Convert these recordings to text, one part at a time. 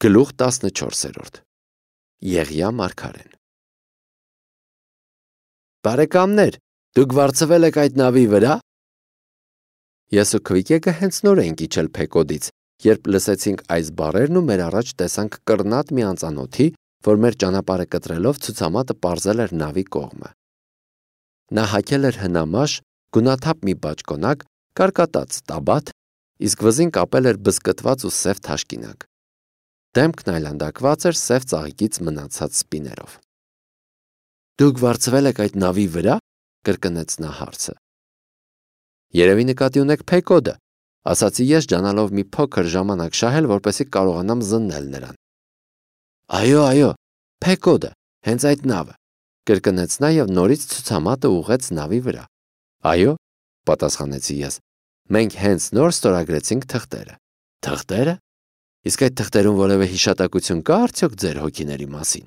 Գլուխ 14 Եղիա մարգարեն Բարեկամներ, դուք վարձվել եք այդ նավի վրա։ Ես ու Քվիկեկը հենց նոր էինք իջել Փեկոդից, երբ լսեցինք այս բառերն ու մեր առաջ տեսանք կռնատ մի անծանոթի, որ մեր ճանապարհը կտրելով ցուցամատը պարզել էր նավի կողմը։ Նա հագել էր հնամաշ, գունաթափ մի բաճկոնակ, կարկատած տաբատ, իսկ վզին կապել էր բզկտված ու սև թաշկինակ։ Դեմքն այլանդակված էր սև ծաղիկից մնացած սպիներով։ Դուք վարձվել եք այդ նավի վրա, կրկնեց նա հարցը։ Երևի նկատի ունեք Փեկոդը, ասացի ես ջանալով մի փոքր ժամանակ շահել, որպեսզի կարողանամ զննել նրան։ Այո, Փեկոդը, հենց այդ նավը, կրկնեց նա եւ նորից ցուցամատը ուղղեց նավի վրա։ Այո, պատասխանեցի ես։ Մենք հենց նոր ստորագրեցինք թղթերը։ Թղթերը։ Իսկ այդ թղթերում որևէ հիշատակություն կա արդյոք ձեր հոգիների մասին։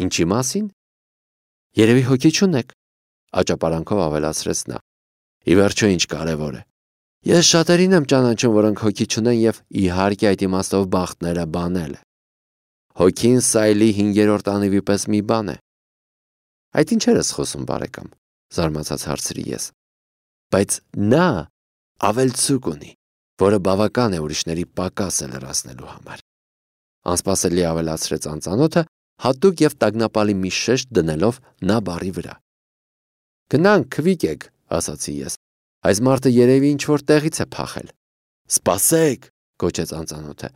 Ինչի մասին։ Երևի հոգի չունեք, աճապարանքով ավելացրեց նա։ Ի վերջո ինչ կարևոր է։ Ես շատերին եմ ճանաչում, որոնք հոգի չունեն եւ իհարկե այդ իմաստով բախտները բանել է։ Հոգին սայլի 5-րդ անիվի պես մի բան է։ Այդ ինչեր ես խոսում, բարեկամ, զարմացած հարցրի ես։ Բայց նա ավելցուկ ունի, որը բավական է ուրիշների պակասը լրացնելու համար։ Անսպասելի ավելացրեց անծանոթը, հատուկ եւ տագնապալի մի շեշտ դնելով նա բառի վրա։ Գնանք, Քվիկեք, ասացի ես։ Այս մարդը երևի ինչ-որ տեղից է փախել։ Սպասեք, գոչեց անծանոթը։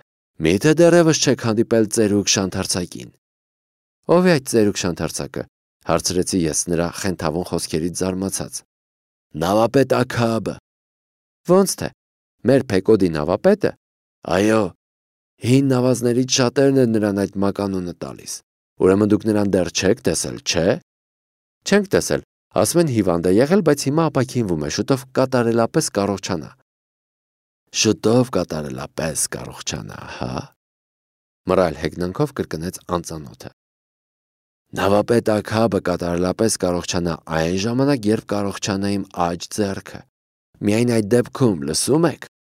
Միթե դեռևս չեք հանդիպել ծերուկ շանթարցակին։ Ով է այդ ծերուկ շանթարցակը, հարցրեցի ես նրա խենթավուն խոսքերից զարմացած։ Նավապետ Աքաբը։ Ոնց թե։ Մեր Փեկոդի նավապետը։ Այո, հին նավազներից շատերն են նրան այդ մականունը տալիս։ Ուրեմն դուք նրան դեռ չեք տեսել, չէ։ Չենք տեսել, ասում են հիվանդ է եղել, բայց հիմա ապաքինվում է, շուտով կատարելապես կառողջանա։ Շուտով կատարելապես կառողջանա, հա։ Մռայլ հեգնանքով կրկնեց անծանոթը։ Նավապետ Աքաբը կատարելապես կառողջանա այն ժամանակ, երբ կառողջանա իմ աջ ձեռքը։ Միայն այդ դեպքում, լսում եք։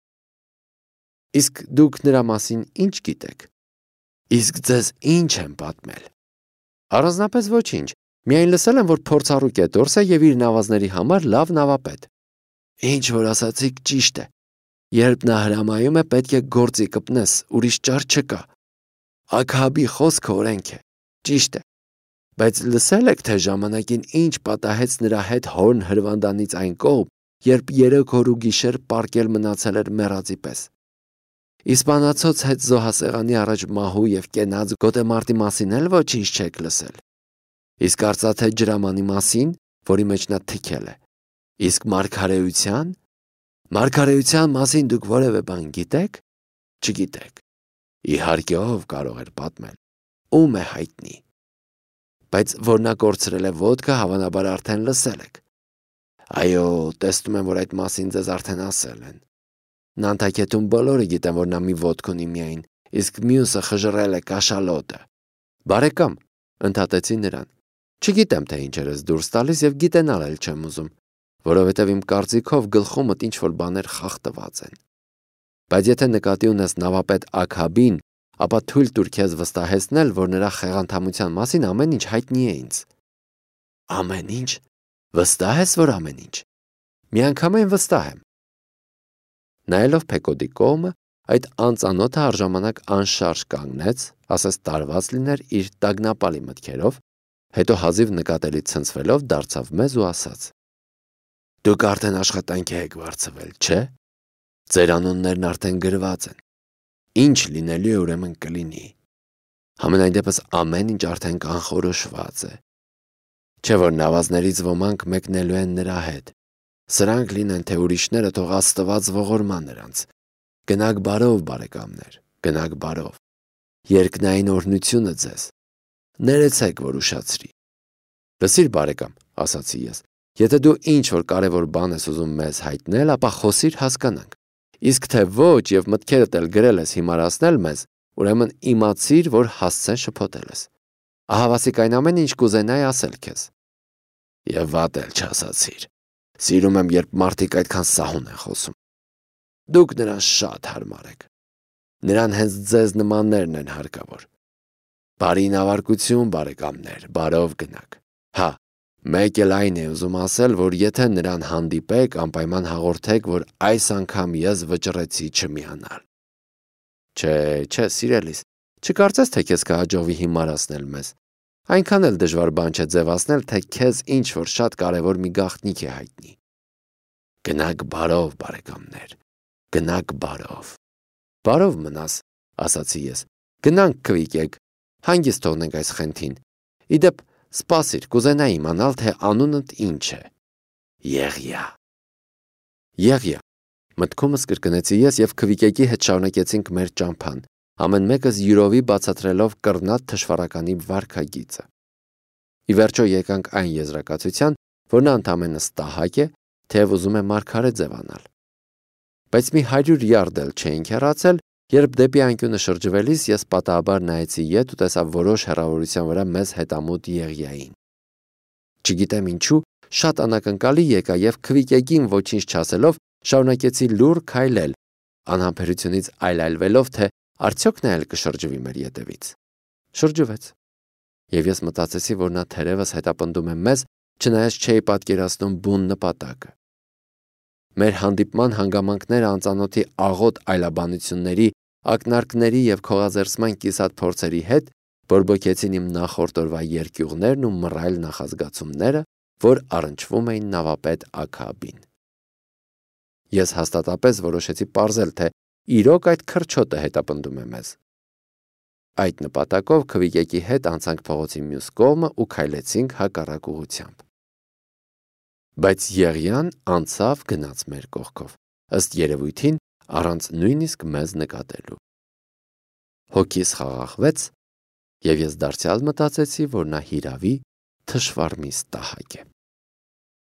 Իսկ դուք նրա մասին ինչ գիտեք։ Իսկ ձեզ ինչ եմ պատմել։ Առանձնապես ոչինչ։ Միայն լսել եմ, որ փորձառու կետորս է եւ իր նավազների համար լավ նավապետ։ Ինչ որ ասացիք ճիշտ է։ Երբ նա հրամայում է, պետք է գործի կպնես, ուրիշ ճար չկա։ Աքաբի խոսքը օրենք է։ Ճիշտ է։ Բայց լսել եք, թե ժամանակին ինչ պատահեց նրա հետ հորն հրվանդանից այն կողմ, երբ 3 օր ու գիշեր պարկել մնացել էր մեռածի պես։ Իսպանացոց հետ զոհասեղանի առաջ մահու եւ կենաց գոտեմարտի մասին էլ ոչինչ չեք լսել։ Իսկ արծաթե ջրամանի մասին, որի մեջ նա թքել է։ Իսկ մարգարեության մասին դուք որևէ բան գիտեք։ Չգիտեք։ Իհարկե ով կարող էր պատմել։ Ում է հայտնի։ Բայց որ նա կորցրել է ոդկը, հավանաբար արդեն լսել եք։ Այո, տեսնում եմ, որ այդ մասին ձեզ արդեն ասել են։ Նանտակետում բոլորը գիտեն, որ նա մի ոդկ ունի միայն, իսկ մյուսը խժռել է կաշալոտը։ Բարեկամ, ընդհատեցի նրան։ Չգիտեմ, թե ինչեր ես դուրս տալիս եւ գիտենալ էլ չեմ ուզում, որովհետեւ իմ կարծիքով գլխումդ ինչ-որ բաներ խախտված են։ Բայց եթե նկատի ունես նավապետ Աքաբին, ապա թույլ տուր քեզ վստահեցնել, որ նրա խեղանթամության մասին ամեն ինչ հայտնի է ինձ։ Ամեն ինչ։ Վստահ ես, որ ամեն ինչ։ Միանգամայն վստահ եմ։ Նայելով Փեկոդի կողմը, այդ անծանոթը առժամանակ անշարժ կանգնեց, ասես տարված լիներ իր տագնապալի մտքերով, հետո հազիվ նկատելի ցնցվելով դարձավ մեզ ու ասաց. Դուք արդեն աշխատանքի եք վարձվել, չէ՞։ Ձեր անուններն արդեն գրված են։ Ինչ լինելու է, ուրեմն կլինի։ Համենայն դեպս ամեն ինչ արդեն կանխորոշված է։ Չէ՞ որ նավազներից ոմանք մեկնելու են նրա հետ։ Սրանք լինեն, թե ուրիշները թող Աստված ողորման նրանց։ Գնաք բարով, բարեկամներ, գնաք բարով։ Երկնային օրհնությունը ձեզ։ Ներեցեք, որ ուշացրի։ Լսիր, բարեկամ, ասացի ես, եթե դու ինչ-որ կարևոր բան ես ուզում մեզ հայտնել, ապա խոսիր հասկանանք։ Իսկ թե ոչ եւ մտքերդ էլ գրել ես հիմարացնել մեզ, ուրեմն իմացիր, որ հասցեն շփոթել ես։ Ահավասիկ այն ամեն ինչ կուզենայի ասել քեզ։ Եվ վատ էլ չասացիր։ Սիրում եմ, երբ մարդիկ այդքան սահուն են խոսում։ Դուք նրան շատ հարմար եք։ Նրան հենց ձեզ նմաններն են հարկավոր։ Բարի նավարկություն, բարեկամներ, բարով գնաք։ Հա, մեկ էլ այն է ուզում ասել, որ եթե նրան հանդիպեք, անպայման հաղորդեք, որ այս անգամ ես վճռեցի չմիանալ։ Չէ, սիրելիս, չկարծես, թե քեզ կհաջողվի հիմարացնել մեզ։ Այնքան էլ դժվար բան չէ ձևացնել, թե քեզ ինչ-որ շատ կարևոր մի գաղտնիք է հայտնի։ Գնաք բարով, բարեկամներ, գնաք բարով։ Բարով մնաս, ասացի ես։ Գնանք քվիկեք, հանգիստ թողնենք այս խենթին։ Իդեպ, սպասիր, կուզենայի իմանալ, թե անունդ ինչ է։ Եղիա։ Մտքումս կրկնեցի ես եւ քվիկեկի հետ շարունակեցինք մեր ճամփան, ամեն մեկս յուրովի բացատրելով կռնատ թշվառականի վարքագիծը։ Ի վերջո եկանք այն եզրակացության, որ նա ընդամենը ստահակ է, թեև ուզում է մարգարե ձևանալ։ Բայց մի 100 յարդ էլ չէինք հեռացել, երբ դեպի անկյունը շրջվելիս ես պատահաբար նայեցի ետ ու տեսա որոշ հեռավորության վրա մեզ հետամուտ Եղիային։ Չգիտեմ ինչու, շատ անակնկալի եկա եւ քվիկեկին ոչինչ չասելով շարունակեցի լուռ քայլել, անհամբերությունից այլայլվելով, թե արդյոք նա էլ կշրջվի մեր ետևից։ Շրջվեց։ Եվ ես մտածեցի, որ նա թերևս հետապնդում է մեզ, չնայած չէի պատկերացնում բուն նպատակը։ Մեր հանդիպման հանգամանքները անծանոթի աղոտ այլաբանությունների, ակնարկների եւ քողազերծման կիսատ փորձերի հետ բորբոքեցին իմ նախորդ օրվա երկյուղներն ու մռայլ նախազգացումները, որ առնչվում էին նավապետ Աքաբին։ Ես հաստատապես որոշեցի պարզել, թե իրոք այդ քրչոտը հետապնդում է մեզ։ Այդ նպատակով քվիկեկի հետ անցանք փողոցի մյուս կողմը ու քայլեցինք հակառակ ուղղությամբ։ Բայց Եղիան անցավ գնաց մեր կողքով, ըստ երևույթին առանց նույնիսկ մեզ նկատելու։ Հոգիս խաղաղվեց, եւ ես դարձյալ մտածեցի, որ նա հիրավի թշվառ մի ստահակ է։